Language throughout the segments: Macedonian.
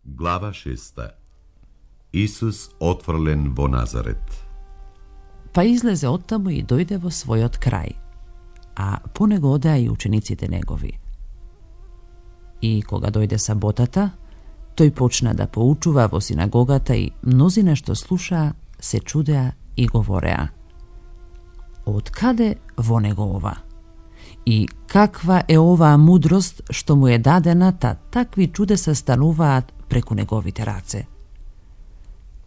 Глава 6. Исус отфрлен во Назарет. Па излезе оттаму и дојде во својот крај, а по него одеа и учениците негови. И кога дојде саботата, тој почна да поучува во синагогата и мнозина што слушаа се чудеа и говореа: од каде во него ова? И каква е оваа мудрост што му е дадена, такви чудеса стануваат преку неговите раце?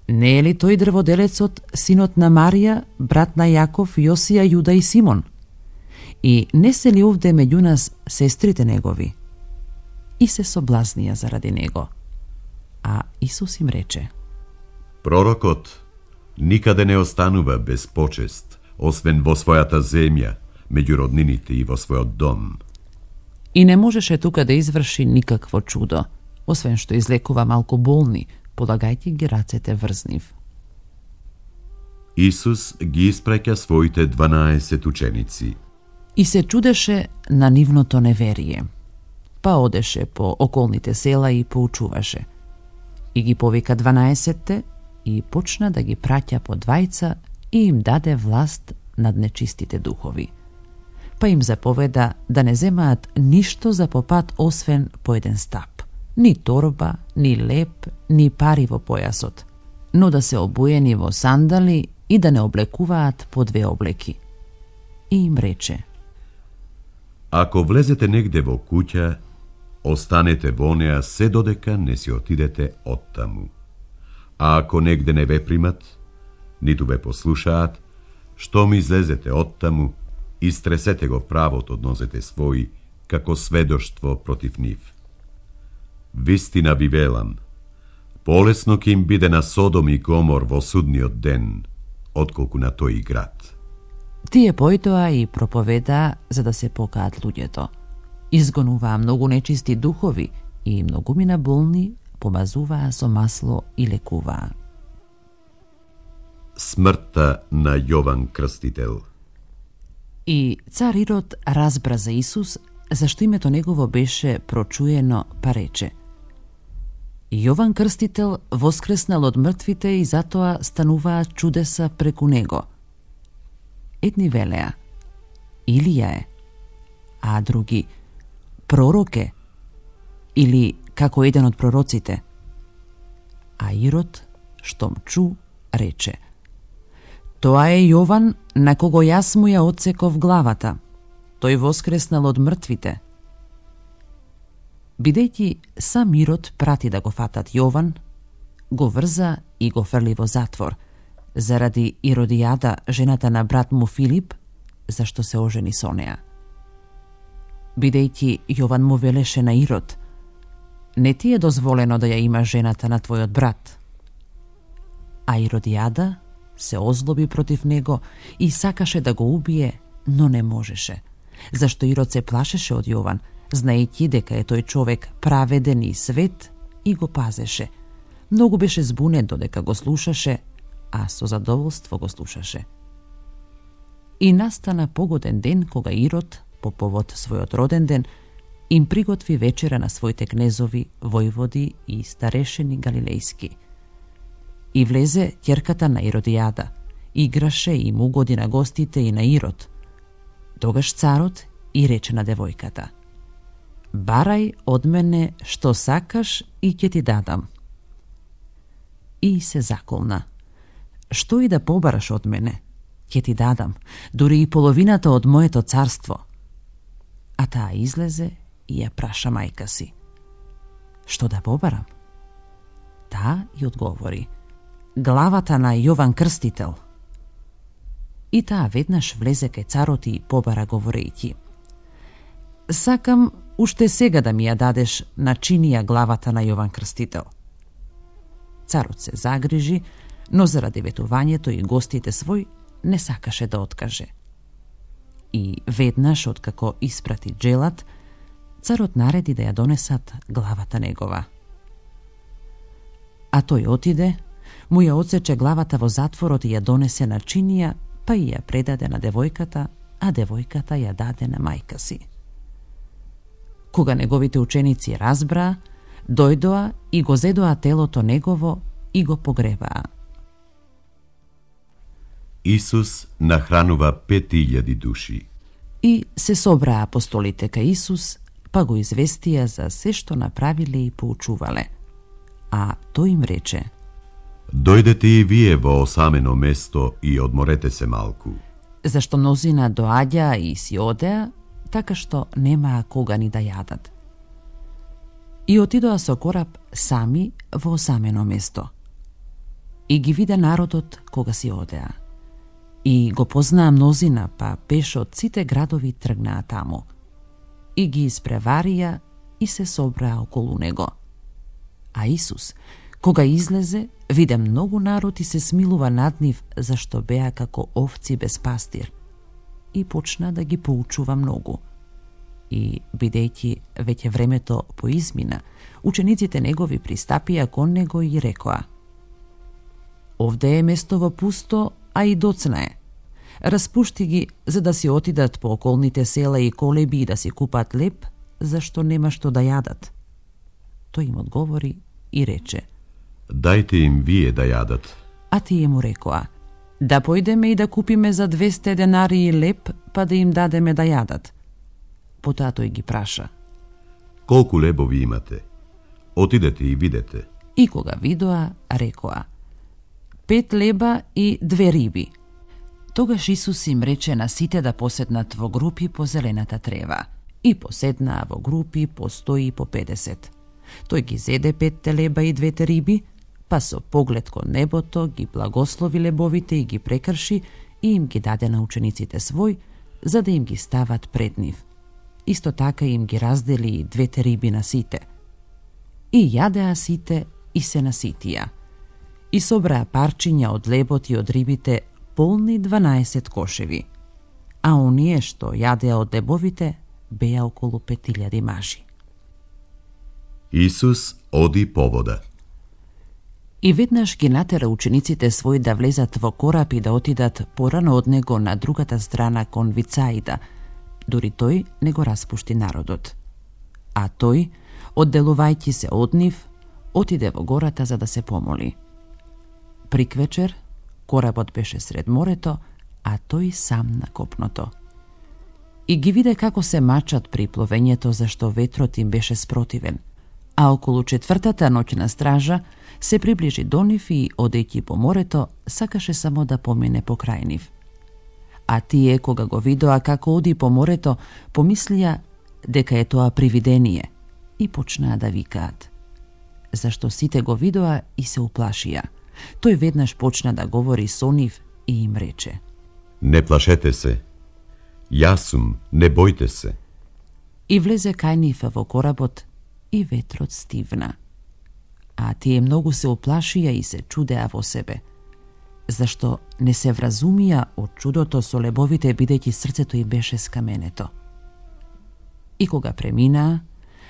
Не е ли тој дрводелецот, синот на Марија, брат на Јаков, Јосија, Јуда и Симон? И не се ли овде меѓу нас сестрите негови? И се соблазнија заради него. А Исус им рече: Пророкот никаде не останува без почест, освен во својата земја, меѓу роднините и во својот дом. И не можеше тука да изврши никакво чудо, освен што излекува малку болни, полагајќи ги рацете врз нив. Исус ги испраќа своите 12 ученици. И се чудеше на нивното неверие. Па одеше по околните села и поучуваше. И ги повика 12-те и почна да ги праќа по двајца и им даде власт над нечистите духови. Па им заповеда да не земаат ништо за попат освен по еден стап. Ни торба, ни леп, ни пари во појасот, но да се обуени во сандали и да не облекуваат по 2 облеки. И им рече: Ако влезете негде во куќа, останете во неа се додека не си отидете оттаму. А ако негде не ве примат, ниту ве послушаат, што ми излезете оттаму, истресете го правот од нозете своји, како сведоштво против нив. Вистина ви велам, полесно ќе им биде на Содом и Гомор во судниот ден, отколку на тој град. Тие појтоа и проповедаа за да се покаат луѓето. Изгонуваа многу нечисти духови и многумина болни помазуваа со масло и лекуваа. Смртта на Јован Крстител. И цар Ирод разбра за Исус, зашто името негово беше прочуено, па рече: Јован Крстител воскреснал од мртвите и затоа стануваат чудеса преку него. Едни велеа: Илија е, а други: пророк е, или како еден од пророците. А Ирод, штом чу, рече: Тоа е Јован, на кого јас му ја отсеков главата. Тој воскреснал од мртвите. Бидејќи сам Ирод прати да го фатат Јован, го врза и го фрли во затвор, заради Иродијада, жената на брат му Филип, зашто се ожени со неа. Бидејќи Јован му велеше на Ирод: Не ти е дозволено да ја има жената на твојот брат. А Иродијада се озлоби против него и сакаше да го убие, но не можеше, зашто Ирод се плашеше од Јован, знаејќи дека е тој човек праведен и свет, и го пазеше. Многу беше збунет додека го слушаше, а со задоволство го слушаше. И настана погоден ден кога Ирод, по повод својот роден ден, им приготви вечера на своите кнезови, војводи и старешени галилејски. И влезе ќерката на Иродијада, играше и му угоди на гостите и на Ирод. Тогаш царот и рече на девојката: Барај од мене што сакаш и ќе ти дадам. И се заколна: Што и да побараш од мене, ќе ти дадам, дури и половината од моето царство. А таа излезе и ја праша мајка си: Што да побарам? Таа и одговори: Главата на Јован Крстител. И таа веднаш влезе кај царот и побара говорејќи: Сакам уште сега да ми ја дадеш на чинија главата на Јован Крстител. Царот се загрижи, но заради ветувањето и гостите свој не сакаше да откаже. И веднаш откако испрати джелат, царот нареди да ја донесат главата негова. А тој отиде, му ја отсече главата во затворот и ја донесе на чинија, па и ја предаде на девојката, а девојката ја даде на мајка си. Кога неговите ученици разбраа, дојдоа и го зедоа телото негово и го погребаа. Исус нахранува 5000 души. И се собраа апостолите кај Исус, па го известија за се што направиле и поучувале. А тој им рече: Дојдете и вие во осамено место и одморете се малку. Зашто мнозина доаѓаа и си одеа, така што немаа кога ни да јадат. И отидоа со кораб сами во осамено место. И ги вида народот кога си одеа. И го познаа мнозина, па пеше од сите градови тргнаа таму. И ги испреварија и се собраа околу него. А Исус, кога излезе, виде многу народ и се смилува над нив, зашто беа како овци без пастир. И почна да ги поучува многу. И, бидејќи веќе времето поизмина, учениците негови пристапија кон него и рекоа: Овде е местово пусто, а и доцна е. Распушти ги, за да си отидат по околните села и колеби и да си купат леп, зашто нема што да јадат. Тој им одговори и рече: Дајте им вие да јадат. А тие му рекоа: Да појдеме и да купиме за 200 денари леп, па да им дадеме да јадат. Потоа тој ги праша: Колку лебови имате? Отидете и видете. И кога видоа, рекоа: 5 леба и 2 риби. Тогаш Исус им рече на сите да поседнат во групи по зелената трева. И поседнаа во групи по 100 и по 50. Тој ги зеде 5 леба и 2 риби, па со поглед кон небото ги благослови лебовите и ги прекрши и им ги даде на учениците свој, за да им ги стават пред нив. Исто така им ги раздели и 2 риби на сите. И јадеа сите и се наситија. И собраа парчиња од лебот и од рибите полни 12 кошеви. А оние што јадеа од лебовите беа околу 5000 мажи. Исус оди по вода. И веднаш ги натера учениците своји да влезат во кораб и да отидат порано од него на другата страна кон Вицаида, дури тој не го распушти народот. А тој, одделувајќи се од нив, отиде во гората за да се помоли. Приквечер, коработ беше сред морето, а тој сам на копното. И ги виде како се мачат при пловењето, зашто ветрот им беше спротивен. А околу 4-та ноќна стража се приближи до нив и, одејќи по морето, сакаше само да помине покрај нив. А тие, кога го видоа како оди по морето, помислија дека е тоа привидение и почнаа да викаат. Зашто сите го видоа и се уплашија. Тој веднаш почна да говори со нив и им рече: Не плашете се. Јас сум, не бојте се. И влезе кај нив во коработ и ветрот стивна. А тие многу се уплашија и се чудеа во себе, зашто не се вразумија од чудото со лебовите, бидејќи срцето им беше скаменето. И кога преминаа,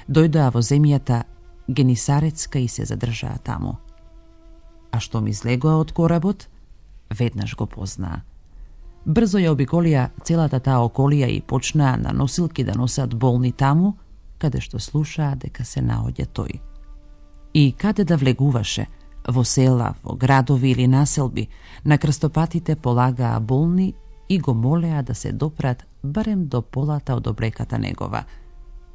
дојдоа во земјата Генисарецка и се задржаа таму. А што ми излегоа од коработ, веднаш го познаа. Брзо ја обиколија целата таа околија и почнаа на носилки да носат болни таму, каде што слушаа дека се наоѓа тој. И каде да влегуваше, во села, во градови или населби, на крстопатите полагаа болни и го молеа да се допрат барем до полата од облеката негова.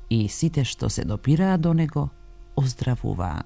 И сите што се допираа до него, оздравуваа.